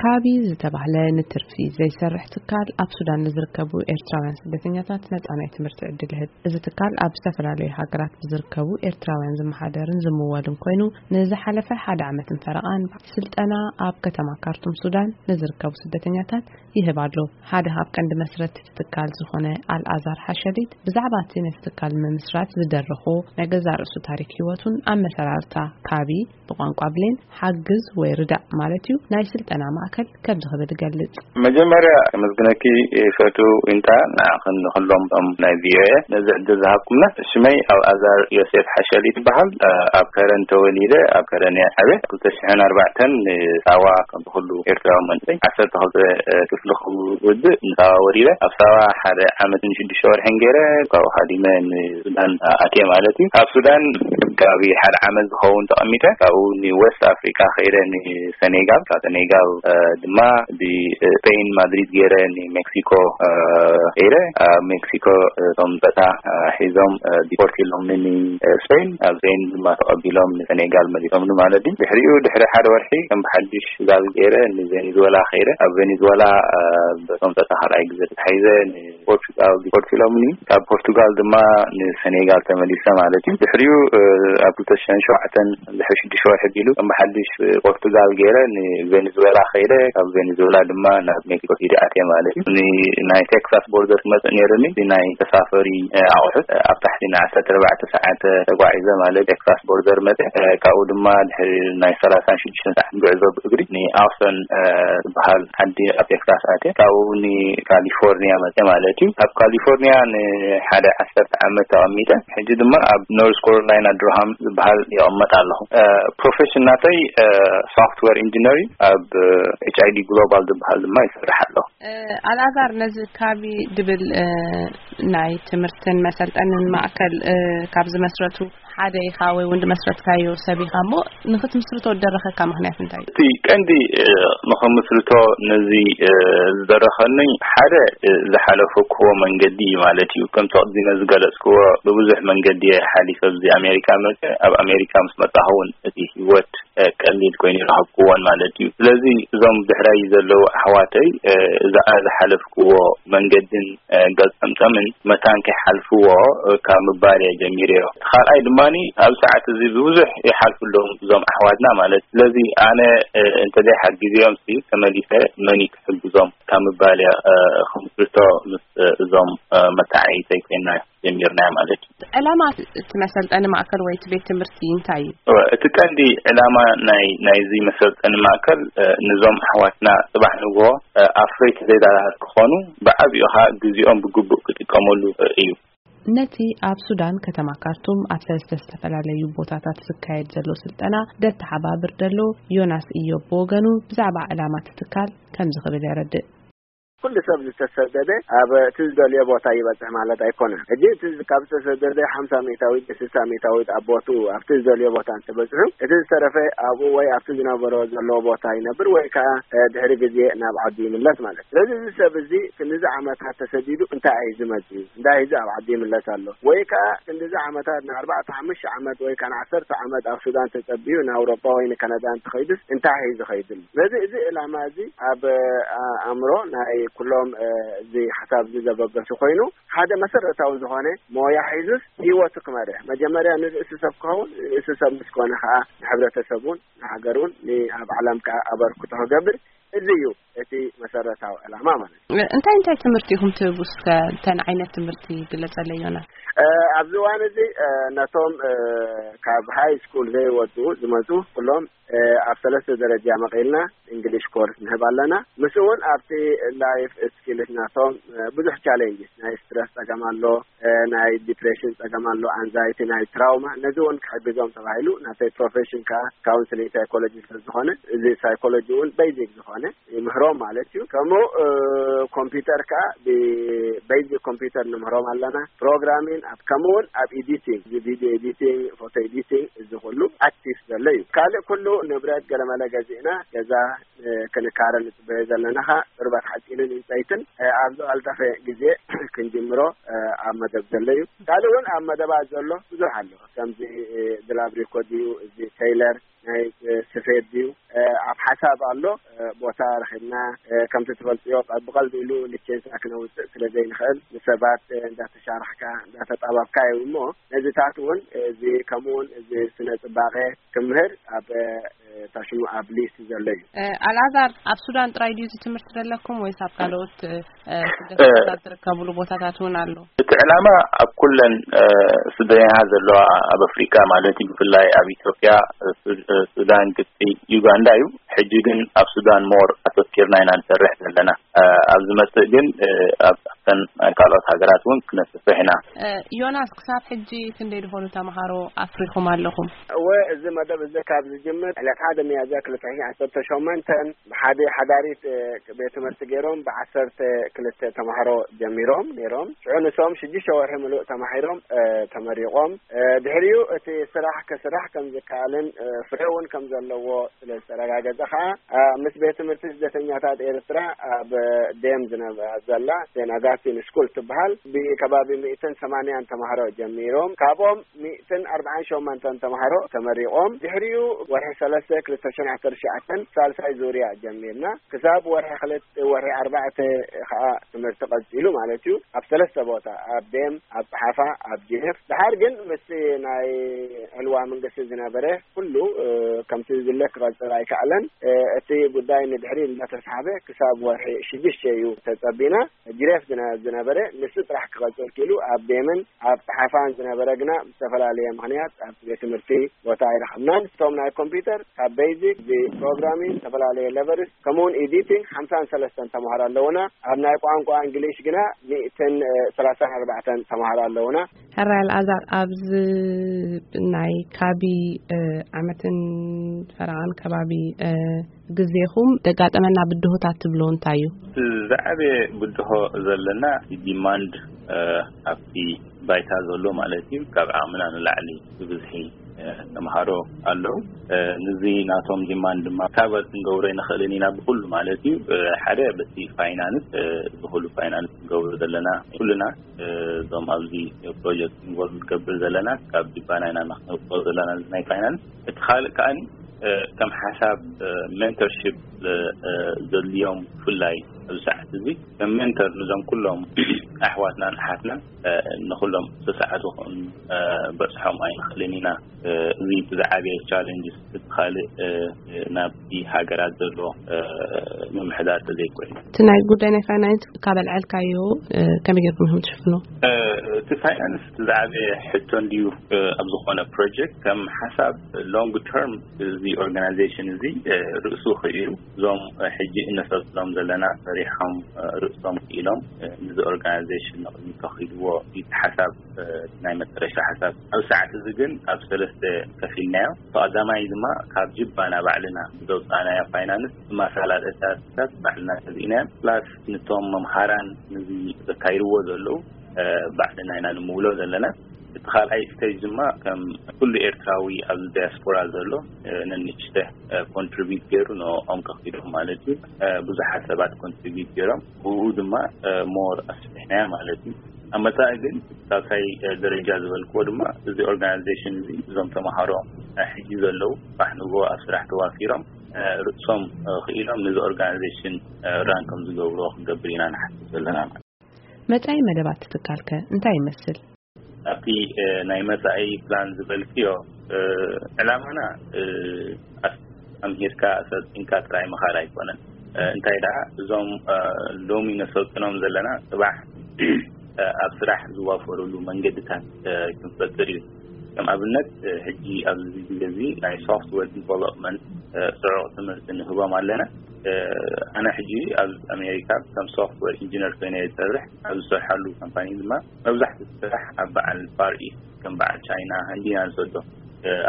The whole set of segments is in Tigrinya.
ካቢ ዝተባህለ ንትርፊ ዘይሰርሕ ትካል ኣብ ሱዳን ንዝርከቡ ኤርትራውያን ስደተኛታት ነጻ ናይ ትምህርቲ ዕድል ይህብ። እዚ ትካል ኣብ ዝተፈላለዩ ሃገራት ብዝርከቡ ኤርትራውያን ዝመሓደርን ዝምወልን ኮይኑ፣ ንዝሓለፈ ሓደ ዓመትን ፈረቓን ስልጠና ኣብ ከተማ ካርቱም ሱዳን ንዝርከቡ ስደተኛታት ይህብ ኣሎ። ሓደ ካብ ቀንዲ መስረቲ እቲ ትካል ዝኾነ ኣልኣዛር ሓሸሊት ብዛዕባ እቲ ነቲ ትካል ምምስራት ዝደረኾ ናይ ገዛእ ርእሱ ታሪክ ህይወቱን ኣመሰራርታ ካቢ ብቋንቋ ብሌን ሓግዝ ወይ ርዳእ ማለት እዩ ናይ ስልጠና ማእከል ከምዚ ክብል ይገልጽ። መጀመርያ ከመስግነኪ ይፈቱ። ኢንታ ንዓኽን ንኹሎም እቶም ናይ ቪኦኤ ነዚ ዕድል ዝሃብኩምና። ሽመይ ኣልኣዛር ዮሴፍ ሓሸሊት ይበሃል። ኣብ ከረን ተወሊደ፣ ኣብ ከረን እየ ዓብየ። ክልተ ሽሕን ኣርባዕተን ንሳዋ ከም ኩሉ ኤርትራዊ መንእሰይ ዓሰርተ ክልተ ክፍሊ ክውድእ ንሳዋ ወሪደ። ኣብ ሳዋ ሓደ ዓመትን ሽዱሽተ ወርሕን ገይረ፣ ካብኡ ሃዲመ ንሱዳን ኣትየ ማለት እዩ። ኣብ ሱዳን ጋቢ ሓደ ዓመት ዝኸውን ተቐሚጠ፣ ካብኡ ንዌስት ኣፍሪካ ከይደ ንሰኔጋል፣ ካብ ሰኔጋል፣ እ፣ ድማ ብስፔን ማድሪድ ገይረ ንሜክሲኮ፣ እ፣ ከይደ። ኣብ ሜክሲኮ፣ እ፣ እቶም ጸታ፣ እ፣ ሒዞም፣ እ፣ ዲፖርት ኢሎም ንስፔን፣ ኣብ ስፔን ድማ ተቐቢሎም ንሰኔጋል መሊሶምኒ ማለት እዩ። ድሕሪኡ ድሕሪ ሓደ ወርሒ ከም ብሓድሽ ጋቢ ገይረ ንቬኔዙዌላ ከይደ። ኣብ ቬኔዙዌላ፣ እ፣ በቶም ጸታ ካልኣይ ግዜ ተታሒዘ ንፖርቹጋል ዲፖርት ኢሎምኒ። ካብ ፖርቹጋል ድማ ንሰኔጋል ተመሊሰ ማለት እዩ። ድሕሪኡ፣ እ፣ ኣብ ክልተ ሽሕን ሸውዓተን ድሕሪ ሽዱሽተ ወርሒ ቢሉ ከም ብሓድሽ ፖርቱጋል ገይረ ንቬኔዙዌላ ከይደ። ካብ ቬኔዙዌላ ድማ ናብ ሜክሲኮ ሲቲ ኣትየ ማለት እዩ። ን-፣ ናይ ቴክሳስ ቦርደር ክመጽእ ነይሩኒ። እቲ ናይ ተሳፈሪ፣ እ፣ ኣቑሑት፣ እ፣ ኣብ ታሕቲ ን ዓሰርተ ኣርባዕተ ሰዓት ተጓዒዘ ማለት ቴክሳስ ቦርደር መጽእ። እ፣ ካብኡ ድማ ድሕሪ ናይ ሰላሳን ሽዱሽተን ሰዓት ጉዕዞ ብእግሪ ንኣውስተን፣ እ፣ ዝበሃል ዓዲ ኣብ ቴክሳስ ኣትየ። ካብኡ ንካሊፎርኒያ መጽእ ማለት እዩ። ኣብ ካሊፎርኒያ ንሓደ ዓሰርተ ዓመት ተቐሚጠ። ሕጂ ድማ ኣብ ኖርዝ ካሮላይና ዱርሃም ዝበሃል ይቕመጥ ኣለኹ። እ፣ ፕሮፌሽን ናተይ፣ እ፣ ሶፍትዌር ኢንጂነሪንግ ኣብ፣ እ፣ ኤች ኣይ ዲ ግሎባል ዝበሃል ድማ ይሰርሕ ኣለኹ። እ፣ ኣልኣዛር፣ ነዚ ካቢ ድብል፣ እ፣ ናይ ትምህርትን መሰልጠንን ማእከል፣ እ፣ ካብ ዝመስረቱ ሓደ ኢኻ ወይ እውን ዝመስረትካዮ ሰብ ኢኻ እሞ፣ ንኽትምስርቶ ዝደረኸካ ምኽንያት እንታይ እዩ? እቲ ቀንዲ፣ እ፣ ንኽምስርቶ ነዚ፣ እ፣ ዝደረኸኒ ሓደ፣ እ፣ ዝሓለፍክዎ መንገዲ እዩ ማለት እዩ። ከምቲ ቅድመ ዝገለጽክዎ ብብዙሕ መንገዲ እየ ሓሊፈ ኣብዚ ኣሜሪካ መጸ። ኣብ ኣሜሪካ ምስ መጻኹ እውን እቲ ህይወት፣ እ፣ ቀሊል ኮይኑ ይረኸብክዎን ማለት እዩ። ስለዚ እዞም ድሕረይ ዘለዉ ኣሕዋተይ፣ እ፣ እዛ ዝሓለፍክዎ መንገድን፣ እ፣ ገልጸምጸምን መታን ከይሓልፍዎ፣ እ፣ ካብ ምባል እየ ጀሚረዮ። እቲ ካልኣይ ድማኒ ኣብ ሰዓት እዚ ብብዙሕ ይሓልፉ ኣለዉ እዞም ኣሕዋትና ማለት። ስለዚ ኣነ፣ እ፣ እንተዘይሓጊዘዮም ሲ ተመሊሰ መን እዩ ክሕግዞም ካብ ምባል እየ፣ እ፣ ክምስርቶ ምስ፣ እ፣ እዞም፣ እ፣ መተዓይተይ ኮይና ጀሚርናዮ ማለት እዩ። ዕላማ እቲ መሰልጠኒ ማእከል ወይ እቲ ቤት ትምህርቲ እንታይ እዩ? እወ፣ እቲ ቀንዲ ዕላማ ናይ፣ ናይዚ መሰልጠኒ ማእከል፣ እ፣ ነዞም ኣሕዋትና ጽባሕ ንግሆ፣ እ፣ ኣፍረይቲ ዜጋታት ክኾኑ፣ ብዓቢኡ ኸኣ ግዜኦም ብግቡእ ክጥቀመሉ፣ እ፣ እዩ። ነቲ ኣብ ሱዳን ከተማ ካርቱም ኣብ ሰለስተ ዝተፈላለዩ ቦታታት ዝካየድ ዘሎ ስልጠና ደተሓባብር ዘሎ ዮናስ ኢዮብ ብወገኑ ብዛዕባ ዕላማ እቲ ትካል ከምዚ ክብል የረድእ። ኩሉ ሰብ ዝተሰደደ ኣብ እቲ ዝደልዮ ቦታ ይበጽሕ ማለት ኣይኮነን። ሕጂ እቲ ካብ ዝተሰደደ ሓምሳ ሚእታዊት፣ ስሳ ሚእታዊት ኣብ ቦትኡ ኣብቲ ዝደልዮ ቦታ እንተበጽሑ፣ እቲ ዝተረፈ ኣብኡ ወይ ኣብቲ ዝነበሮ ዘለዎ ቦታ ይነብር ወይ ከኣ፣ እ፣ ድሕሪ ግዜ ናብ ዓዱ ይምለስ ማለት እዩ። ስለዚ እዚ ሰብ እዚ ክንዚ ዓመታት ተሰዲዱ እንታይ እዩ ዝመጽእ? እንታይ እዩ ኣብ ዓዱ ይምለስ ኣሎ? ወይ ከኣ ክንዚ ዓመታት ንኣርባዕተ፣ ሓሙሽተ ዓመት ወይ ከኣ ንዓሰርተ ዓመት ኣብ ሱዳን ተጸቢዩ ንኣውሮጳ ወይ ንካናዳ እንተኸይዱስ እንታይ እዩ ዝኸይድሉ? ነዚ፣ እዚ ዕላማ እዚ ኣብ፣ እ፣ ኣእምሮ ናይ ኩሎም፣ እ፣ እዚ ሓሳብ እዚ ዘበገሱ ኮይኑ፣ ሓደ መሰረታዊ ዝኾነ ሞያ ሒዙስ ህይወቱ ክመርሕ፣ መጀመርያ ንርእሱ ሰብ ክኸውን፣ ርእሱ ሰብ ምስ ኮነ ከኣ ንሕብረተሰቡን ንሃገሩን ንኣብ ዓለም ከኣ ኣበርክቶ ክገብር፣ እዚ እዩ እቲ መሰረታዊ ዕላማ ማለት እዩ። እንታይ እንታይ ትምህርቲ ኢኹም ትህቡ? እስከ እተን ዓይነት ትምህርቲ ግለጸለይ ዮናስ። እ፣ ኣብዚ እዋን እዚ፣ እ፣ ነቶም፣ እ፣ ካብ ሃይ ስኩል ዘይወጽኡ ዝመጹ ኩሎም፣ እ፣ ኣብ ሰለስተ ደረጃ መቒልና እንግሊሽ ኮርስ ንህብ ኣለና። ምስኡ እውን ኣብቲ ላይፍ ስኪልስ ናቶም፣ እ፣ ብዙሕ ቻሌንጅ፣ ናይ ስትረስ ጸገም ኣሎ፣ እ፣ ናይ ዲፕሬሽን ጸገም ኣሎ፣ ኣንዛይቲ፣ ናይ ትራውማ፣ ነዚ እውን ክሕግዞም ተባሂሉ ናተይ ፕሮፌሽን ከኣ ካውንስሊንግ ሳይኮሎጂ ስለ ዝኾነ፣ እዚ ሳይኮሎጂ እውን ቤዚክ ዝኾነ ይምህሮም ማለት እዩ። ከምኡ፣ እ፣ ኮምፒውተር ከኣ ብቤዚክ ኮምፒውተር ንምህሮም ኣለና። ፕሮግራሚን ኣብ፣ ከምኡ እውን ኣብ ኤዲቲንግ፣ እዚ ቪድዮ ኤዲቲንግ፣ ፎቶ ኤዲቲንግ፣ እዚ ኩሉ ኣክቲቭ ዘሎ እዩ። ካልእ ኩሉ ንብረት ገለመለ ገዚእና ገዛ ክንካረ ንጽበዮ ዘለና ኸኣ ቁርበት ሓጺንን ዕንጸይትን ኣብ ዝቐልጠፈ ግዜ ክንጅምሮ ኣብ መደብ ዘሎ እዩ። ካልእ እውን ኣብ መደባት ዘሎ ብዙሕ ኣሎ። ከምዚ ድላብሪኮ ድዩ፣ እዚ ቴይለር ናይ ስፌት ድዩ፣ ኣብ ሓሳብ ኣሎ። ቦታ ረኺብና ከምቲ ትፈልጥዮ ብቐልቢ ኢሉ ሊቼንሳ ክነውፅእ ስለ ዘይንኽእል ንሰባት እንዳተሻራሕካ እንዳተጣባብካ እዩ። እሞ ነዚታት እውን እዚ ከምኡውን እዚ ስነ ፅባቐ ክምህር ኣብ ታሽሙ ኣብ ሊስት ዘሎ እዩ። ኣልኣዛር፣ ኣብ ሱዳን ጥራይ ድዩ እዚ ትምህርቲ ዘለኩም ወይስ ኣብ ካልኦት ስደተኛታት ዝርከብሉ ቦታታት እውን ኣሎ? እቲ ዕላማ ኣብ ኩለን ስደተኛታት ዘለዋ ኣብ ኣፍሪካ ማለት እዩ፣ ብፍላይ ኣብ ኢትዮጵያ፣ ሱዳን፣ ግብፂ፣ ዩጋንዳ እዩ። ሕጂ ግን ኣብ ሱዳን ሞር ኣተኪርና ኢና ንሰርሕ ዘለና። ኣብ ዝመፅእ ግን ኣብ ኣብተን ካልኦት ሃገራት እውን ክነስፍሕ ኢና። ዮናስ፣ ክሳብ ሕጂ ክንደይ ዝኾኑ ተምሃሮ ኣፍሪኹም ኣለኹም? እወ፣ እዚ መደብ እዚ ካብ ዝጅምር ዕለት ሓደ ሚያዝያ ክልተ ሺሕ ዓሰርተ ሸሞንተን ብሓደ ሓዳሪት ቤት ትምህርቲ ገይሮም ብዓሰርተ ክልተ ተምሃሮ ጀሚሮም ነይሮም። ሽዑ ንሶም ሽዱሽተ ወርሒ ምሉእ ተማሂሮም ተመሪቖም። ድሕሪኡ እቲ ስራሕ ክስራሕ ከም ዝከኣልን ፍረ እውን ከም ዘለዎ ስለ ዝተረጋገጸ ከኣ ምስ ቤት ትምህርቲ ስደተኛታት ኤርትራ ኣብ ደም ዝነበ ዘላ ሴንት ኣጋስቲን ስኩል ትበሃል ብከባቢ ሚእትን ሰማንያን ተማሃሮ ጀሚሮም ካብኦም ሚእትን ኣርባዓን ሸሞንተን ተማሃሮ ተመሪቖም። ድሕሪኡ ወርሒ ሰለስተ ክልተ ሽሕን ዓሰርተ ትሽዓተን ሳልሳይ ዙርያ ጀሚርና ክሳብ ወርሒ ክልተ ወርሒ ኣርባዕተ ከኣ ትምህርቲ ቀጺሉ ማለት እዩ። ኣብ ሰለስተ ቦታ ኣብ ደም ኣብ ጸሓፋ ኣብ ጀነፍ ድሓር ግን ምስ ናይ ዕልዋ መንግስቲ ዝነበረ ኩሉ ከምቲ ዝድለ ክቐጽል ኣይከኣለን። እቲ ጉዳይ ንድሕሪ እንዳተሳሕበ ክሳብ ወርሒ ሽዱሽተ እዩ ተጸቢና። ጅሬፍ ዝነ- ዝነበረ ንሱ ጥራሕ ክቐጽል ክኢሉ ኣብ ቤምን ኣብ ጸሓፋን ዝነበረ ግና ብዝተፈላለየ ምኽንያት ኣብ ቤት ትምህርቲ ቦታ ኣይረኸብናን። እቶም ናይ ኮምፒውተር ካብ ቤዚክ ፕሮግራሚንግ ዝተፈላለየ ለቨልስ ከምኡውን ኤዲቲንግ ሓምሳን ሰለስተን ተምሃሮ ኣለውና። ኣብ ናይ ቋንቋ እንግሊሽ ግና ሚእትን ሰላሳን ኣርባዕተን ተምሃሮ ኣለውና። ሕራይ ኣልኣዛር፣ ኣብዚ ናይ ካቢ ዓመትን ፈረቓን ከባቢ ግዜኹም ዘጋጠመና ብድሆታት ትብሎ እንታይ እዩ? ዝዓበየ ብድሆ ዘለና ዲማንድ ኣብቲ ባይታ ዘሎ ማለት እዩ። ካብ ዓቕምና ንላዕሊ ብብዝሒ ተምሃሮ ኣለዉ። ንዚ ናቶም ዲማንድ ድማ ካበር ክንገብሮ ይንኽእልን ኢና ብኩሉ ማለት እዩ። ሓደ በቲ ፋይናንስ፣ ብኩሉ ፋይናንስ ክንገብሮ ዘለና ኩልና እዞም ኣብዚ ፕሮጀክት ኢንቮልቭ ንገብር ዘለና ካብ ጅባና ኢና ነኽነብሮ ዘለና ናይ ፋይናንስ። እቲ ካልእ ከኣኒ ከም ሓሳብ ሜንተርሺፕ ዘድልዮም ብፍላይ ኣብዚ ሰዓት እዚ ከም ሜንተር ንዞም ኩሎም ኣሕዋትናን ኣሓትናን ንኩሎም ሰሰዓቱ ከም በፅሖም ኣይንኽእልን ኢና። እዚ እቲ ዝዓበየ ቻለንጅ እቲ ካልእ ናብቲ ሃገራት ዘሎ ምምሕዳር ተዘይኮይኑ እቲ ናይ ጉዳይ ናይ ፋይናንስ ካብ ኣልዓልካዮ ከመይ ጌርኩም ኢኹም ትሽፍኑ? እቲ ፋይናንስ እቲ ዝዓበየ ሕቶ እንድዩ። ኣብ ዝኾነ ፕሮጀክት ከም ሓሳብ ሎንግ ተርም እዚ ኦርጋናይዜሽን እዚ ርእሱ ክኢሉ እዞም ሕጂ እነሰልጥኖም ዘለና ሰሪሖም ርእሶም ክኢሎም ንዚ ኦርጋናይዜሽን ንቕድሚት ከኺድዎ እቲ ሓሳብ ናይ መጨረሻ ሓሳብ ኣብ ሰዓት እዚ ግን ኣብ ሰለስተ ከፊልናዮ። ቀዳማይ ድማ ካብ ጅባና ባዕልና ብዘውፃእናዮ ፋይናንስ ማሳላደታት ባዕልና ተዚእናዮ ፕላስ ንቶም መምሃራን ንዚ ዘካይድዎ ዘለዉ ባዕልና ኢና ንምውሎ ዘለና። እቲ ካልኣይ ስቴጅ ድማ ከም ኩሉ ኤርትራዊ ኣብዚ ዳያስፖራ ዘሎ ነንሽተ ኮንትሪቢዩት ገይሩ ንኦም ከኺዶም ማለት እዩ። ብዙሓት ሰባት ኮንትሪቢዩት ገይሮም ብኡ ድማ ሞር ኣስፊሕናዮ ማለት እዩ። ኣብ መጻኢ ግን ሳልሳይ ደረጃ ዝበልክዎ ድማ እዚ ኦርጋናይዜሽን እዚ እዞም ተምሃሮ ሕጂ ዘለዉ ባሕንጎ ኣብ ስራሕ ተዋፊሮም ርእሶም ክኢሎም ነዚ ኦርጋናይዜሽን ራን ከም ዝገብርዎ ክንገብር ኢና ንሓስብ ዘለና ማለት። መጻኢ መደባት ትካልከ እንታይ ይመስል? ኣብቲ ናይ መጻኢ ፕላን ዝበልክዮ ዕላማና ኣምሂርካ ሰልጢንካ ጥራይ ምኻድ ኣይኮነን። እንታይ ደኣ እዞም ሎሚ ነሰልጥኖም ዘለና ጽባሕ ኣብ ስራሕ ዝዋፈሩሉ መንገድታት ክንፈጥር እዩ። ከም ኣብነት ሕጂ ኣብዚ ግዜ እዚ ናይ ሶፍትዌር ዲቨሎፕመንት ጽዑቕ ትምህርቲ ንህቦም ኣለና። ኣነ ሕጂ ኣብ ኣሜሪካ ከም ሶፍትዌር ኢንጂነር ኮይነ ይሰርሕ። ኣብ ዝሰርሓሉ ካምፓኒ ድማ መብዛሕትኡ ስራሕ ኣብ በዓል ፋር ኢስት ከም በዓል ቻይና፣ ህንዲ ኢና ንሰዶ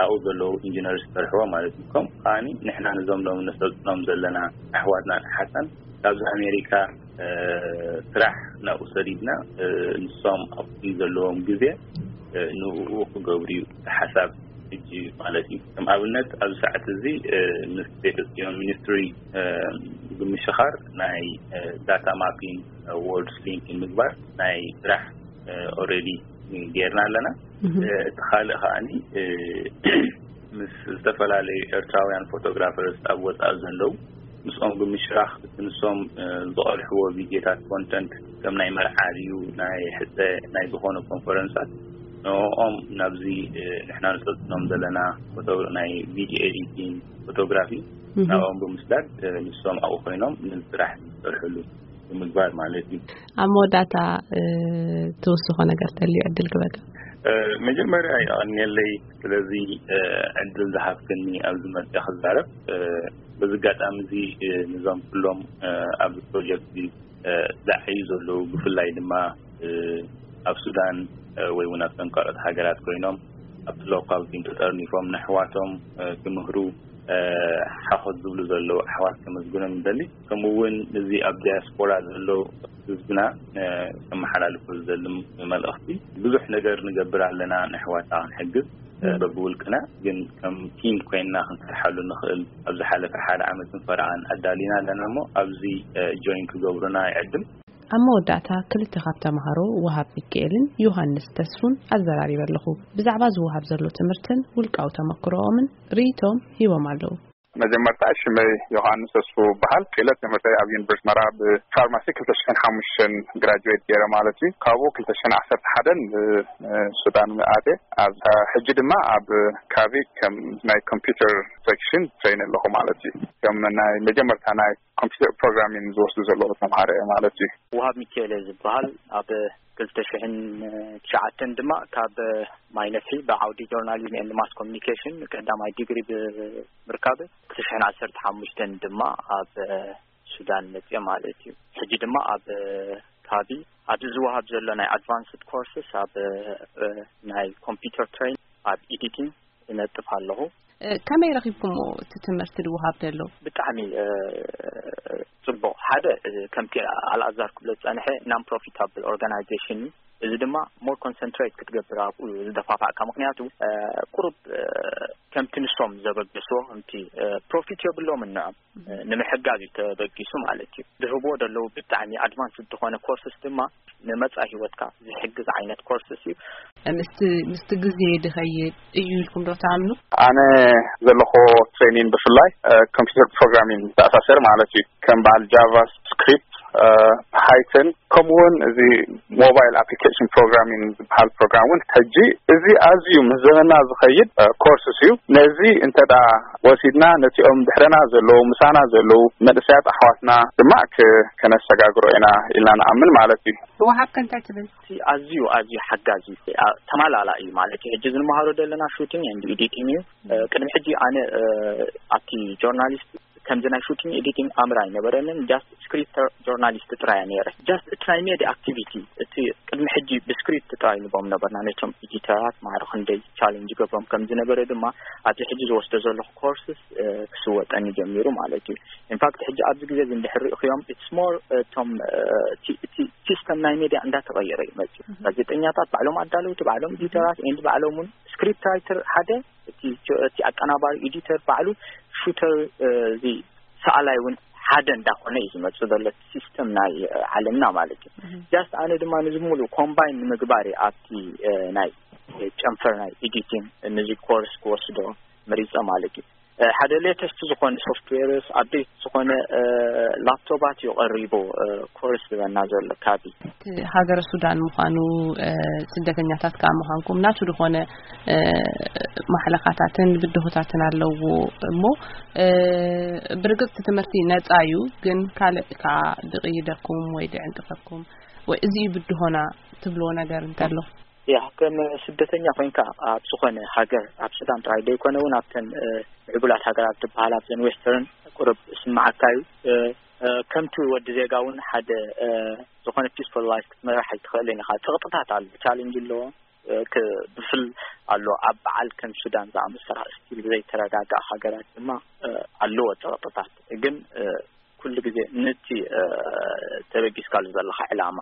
ኣብኡ ዘለዉ ኢንጂነር ዝሰርሕዎ ማለት እዩ። ከምኡ ከዓኒ ንሕና ነዞም ሎም ነሰልጥኖም ዘለና ኣሕዋትናን ኣሓትናን ካብዚ ኣሜሪካ ስራሕ ናብኡ ሰዲድና ንሶም ኣብቲ ዘለዎም ግዜ ንኡ ክገብሩ እዩ ሓሳብ። ሕጂ ማለት እዩ። ከም ኣብነት ኣብዚ ሰዓት እዚ ምስ ቤተ ጽዮን ሚኒስትሪ ብምሽኻር ናይ ዳታ ማፒንግ፣ ወርልድ ሊንኪንግ ምግባር ናይ ስራሕ ኦልሬዲ ጌርና ኣለና። እቲ ካልእ ከዓኒ ምስ ዝተፈላለዩ ኤርትራውያን ፎቶግራፈርስ ኣብ ወፃኢ ዘለዉ ምስኦም ብምሽራኽ እቲ ንሶም ዝቐልሕዎ ቪድዮታት ኮንተንት ከም ናይ መርዓ ድዩ ናይ ሕፀ ናይ ዝኾነ ኮንፈረንሳት ንኦም ናብዚ ንሕና ንሰልጥኖም ዘለና ናይ ቪድዮ ኤዲቲንግ ፎቶግራፊ ናብኦም ብምስዳድ ንሶም ኣብኡ ኮይኖም ንስራሕ ዝሰርሕሉ ብምግባር ማለት እዩ። ኣብ መወዳእታ ትውስኾ ነገር ተልዩ ዕድል ክበካ። መጀመርያ የቐንየለይ ስለዚ ዕድል ዝሃብክኒ ኣብዚ መፅያ ክዛረብ። በዚ ኣጋጣሚ እዚ ንዞም ኩሎም ኣብዚ ፕሮጀክት ዝዓዩ ዘለዉ ብፍላይ ድማ ኣብ ሱዳን ወይ እውን ኣብ ተንካሎት ሃገራት ኮይኖም ኣብቲ ሎካል ቲም ተጠርኒፎም ንኣሕዋቶም ክምህሩ ሓኾት ዝብሉ ዘለዉ ኣሕዋት ከመስግኖም ይደሊ። ከምኡ እውን እዚ ኣብ ዲያስፖራ ዘሎ ህዝብና ከመሓላልፎ ዝደሊ መልእኽቲ ብዙሕ ነገር ንገብር ኣለና ንኣሕዋትና ክንሕግዝ በብውልቅና ግን ከም ቲም ኮይንና ክንሰርሓሉ ንኽእል ኣብ ዝሓለፈ ሓደ ዓመትን ፈረቓን ኣዳሊና ኣለና እሞ ኣብዚ ጆይን ክገብሩና ይዕድም። ኣብ መወዳእታ ክልተ ካብ ተምሃሮ ወሃብ ሚካኤልን ዮሃንስ ተስፉን ኣዘራሪበ ኣለኹ። ብዛዕባ ዝወሃብ ዘሎ ትምህርትን ውልቃዊ ተመክሮኦምን ርእይቶም ሂቦም ኣለዉ። መጀመርታ ሽመይ ዮሃንስ ተስፉ ይበሃል። ክእለት ትምህርተይ ኣብ ዩኒቨርሲቲ መራ ብፋርማሲ ክልተ ሽሕን ሓሙሽተን ግራጁዌት ገይረ ማለት እዩ። ካብኡ ክልተ ሽሕን ዓሰርተ ሓደን ሱዳን ኣትየ። ኣብ ሕጂ ድማ ኣብ ካቢ ከም ናይ ኮምፒውተር ሴክሽን ትሬን ኣለኹ ማለት እዩ። ከም ናይ መጀመርታ ናይ ኮምፒውተር ፕሮግራሚንግ ዝወስዱ ዘለዉ ተምሃሮ እየ ማለት እዩ። ውሃብ ሚካኤል እየ ዝበሃል። ኣብ ክልተ ሽሕን ትሽዓተን ድማ ካብ ማይነፍሒ ብዓውዲ ጆርናሊዝም ኤንድ ማስ ኮሚኒኬሽን ቀዳማይ ዲግሪ ብምርካብ ክልተ ሽሕን ዓሰርተ ሓሙሽተን ድማ ኣብ ሱዳን መፅየ ማለት እዩ። ሕጂ ድማ ኣብ ካቢ ኣብዚ ዝወሃብ ዘሎ ናይ ኣድቫንስድ ኮርስስ ኣብ ናይ ኮምፒውተር ትሬን ኣብ ኤዲቲንግ እነጥፍ ኣለኹ። ከመይ ረኺብኩሞ እቲ ትምህርቲ ዝወሃብ ዘሎ? ብጣዕሚ ጽቡቕ። ሓደ ከምቲ ኣልኣዛር ክብሎ ዝጸንሐ non profitable organization እዩ። እዚ ድማ ሞር ኮንሰንትሬት ክትገብር ኣብኡ ዝደፋፋዕካ። ምኽንያቱ ቁሩብ ከምቲ ንሶም ዘበገስዎ ከምቲ ፕሮፊት የብሎም እንዖም ንምሕጋዝ እዩ ተበጊሱ ማለት እዩ። ዝህብዎ ዘለዉ ብጣዕሚ ኣድቫንስ ዝኾነ ኮርስስ ድማ ንመጻኢ ህይወትካ ዝሕግዝ ዓይነት ኮርስስ እዩ። ምስቲ ምስቲ ግዜ ድኸይድ እዩ ኢልኩም ዶ ትኣምኑ? ኣነ ዘለኹ ትሬኒንግ ብፍላይ ኮምፒውተር ፕሮግራሚንግ ዝተኣሳሰር ማለት እዩ። ከም በዓል ጃቫ ስክሪፕት፣ ፓይተን ከምኡ እውን እዚ ሞባይል ኣፕሊኬሽን ፕሮግራሚንግ ዝበሃል ፕሮግራም እውን ሕጂ እዚ ኣዝዩ ምስ ዘመና ዝኸይድ ኮርስስ እዩ። ነዚ እንተ ደኣ ወሲድና ነቲኦም ድሕረና ዘለዉ ምሳና ዘለዉ መንእሰያት ኣሕዋትና ድማ ከነሰጋግሮ ኢና ኢልና ንኣምን ማለት እዩ። ወሃብ ከ እንታይ ትብል? እቲ ኣዝዩ ኣዝዩ ሓጋዚ እዩ። ተማላላ እዩ ማለት እዩ። ሕጂ ዝንመሃሮ ዘለና ሹቲንግ ኤንድ ኤዲቲንግ እዩ። ቅድሚ ሕጂ ኣነ ኣብቲ ጆርናሊስት ከምዚ ናይ ሹቲንግ ኤዲቲንግ ኣምር ኣይነበረንን። ጃስት ስክሪፕት ጆርናሊስት ጥራይ ነይረ። ጃስት እቲ ናይ ሜዲ ኣክቲቪቲ እቲ ቅድሚ ሕጂ ብስክሪፕት ጥራይ ንቦም ነበርና ነቶም ኤዲተራት ማዕረ ክንደይ ቻሌንጅ ገብሮም ከም ዝነበረ ድማ ኣብዚ ሕጂ ዝወስዶ ዘለኹ ኮርስስ ክስወጠኒ ጀሚሩ ማለት እዩ። ኢንፋክት ሕጂ ኣብዚ ግዜ እዚ እንድሕር ርኢኽዮም ኢትስ ሞር እቶም እቲ ሲስተም ናይ ሜድያ እንዳተቐየረ እዩ መፅዩ። ጋዜጠኛታት ባዕሎም ኣዳለውቲ፣ ባዕሎም ኤዲተራት ኤንድ ባዕሎም እውን ስክሪፕት ራይተር ሓደ እቲ እቲ ኣቀናባሪ ኤዲተር ባዕሉ ሹተር እዚ ሰኣላይ እውን ሓደ እንዳኾነ እዩ ዝመፅእ ዘሎ እቲ ሲስተም ናይ ዓለምና ማለት እዩ። ጃስት ኣነ ድማ ንዚ ሙሉእ ኮምባይን ንምግባር እየ ኣብቲ ናይ ጨንፈር ናይ ኤዲቲንግ ንዚ ኮርስ ክወስዶ መሪፀ ማለት እዩ። ሓደ ሌተስት ዝኾነ ሶፍትዌርስ ኣፕዴት ዝኾነ ላፕቶፓት እዩ ቀሪቡ ኮርስ ዝበና ዘሎ ካቢ። ሃገረ ሱዳን ምዃኑ ስደተኛታት ከዓ ምዃንኩም ናቱ ዝኾነ ማሕለኻታትን ብድሆታትን ኣለዎ እሞ ብርግፅ ትምህርቲ ነፃ እዩ፣ ግን ካልእ ከዓ ድቕይደኩም ወይ ድዕንቅፈኩም ወይ እዚ እዩ ብድሆና ትብልዎ ነገር እንተሎ? ያ ከም ስደተኛ ኮይንካ ኣብ ዝኾነ ሃገር ኣብ ሱዳን ጥራይ ዘይኮነ እውን ኣብተን ምዕቡላት ሃገራት ዝበሃል ኣብዘን ዌስተርን ቁሩብ ስምዓካ እዩ። ከምቲ ወዲ ዜጋ እውን ሓደ ዝኾነ ፒስፉል ላይፍ ክትመራሕ ኣይትኽእልን ኢኻ። ፀቕጥታት ኣሎ፣ ቻሌንጅ ኣለዎ፣ ክብፍል ኣሎ። ኣብ በዓል ከም ሱዳን ዝኣመሰላ ስቲል ዘይተረጋጋእ ሃገራት ድማ ኣለዎ ፀቕጥታት። ግን ኩሉ ግዜ ነቲ ተበጊስካሉ ዘለኻ ዕላማ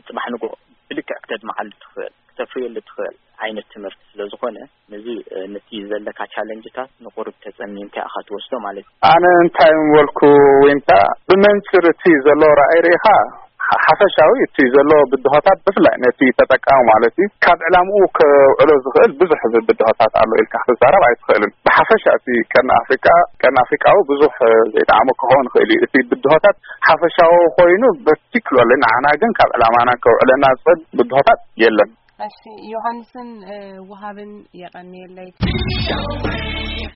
ፅባሕ ንጎ ብልክዕ ክተድምዓሉ ትኽእል። ተፍርየሉ ትኽእል ዓይነት ትምህርቲ ስለ ዝኾነ፣ ነዚ ነቲ ዘለካ ቻለንጅታት ንቁሩብ ተጸሚምካ ኢኻ ትወስዶ ማለት እዩ። ኣነ እንታይ ምበልኩ፣ ዊንታ፣ ብመንፅር እቲ ዘሎ ራእይ ርኢኻ፣ ሓፈሻዊ እቲ ዘሎ ብድሆታት፣ ብፍላይ ነቲ ተጠቃሚ ማለት እዩ፣ ካብ ዕላምኡ ከውዕሎ ዝኽእል ብዙሕ ብድሆታት ኣሎ ኢልካ ክትዛረብ ኣይትኽእልን። ብሓፈሻ እቲ ቀርኒ ኣፍሪቃ፣ ቀርኒ ኣፍሪቃዊ ብዙሕ ዘይጠዓሞ ክኸውን ይኽእል እዩ። እቲ ብድሆታት ሓፈሻዊ ኮይኑ በርቲክሎሊ ንዓና ግን ካብ ዕላማና ከውዕለና ዝኽእል ብድሆታት የለን። እሺ፣ ዮሃንስን ውሃብን የቐንየለይ።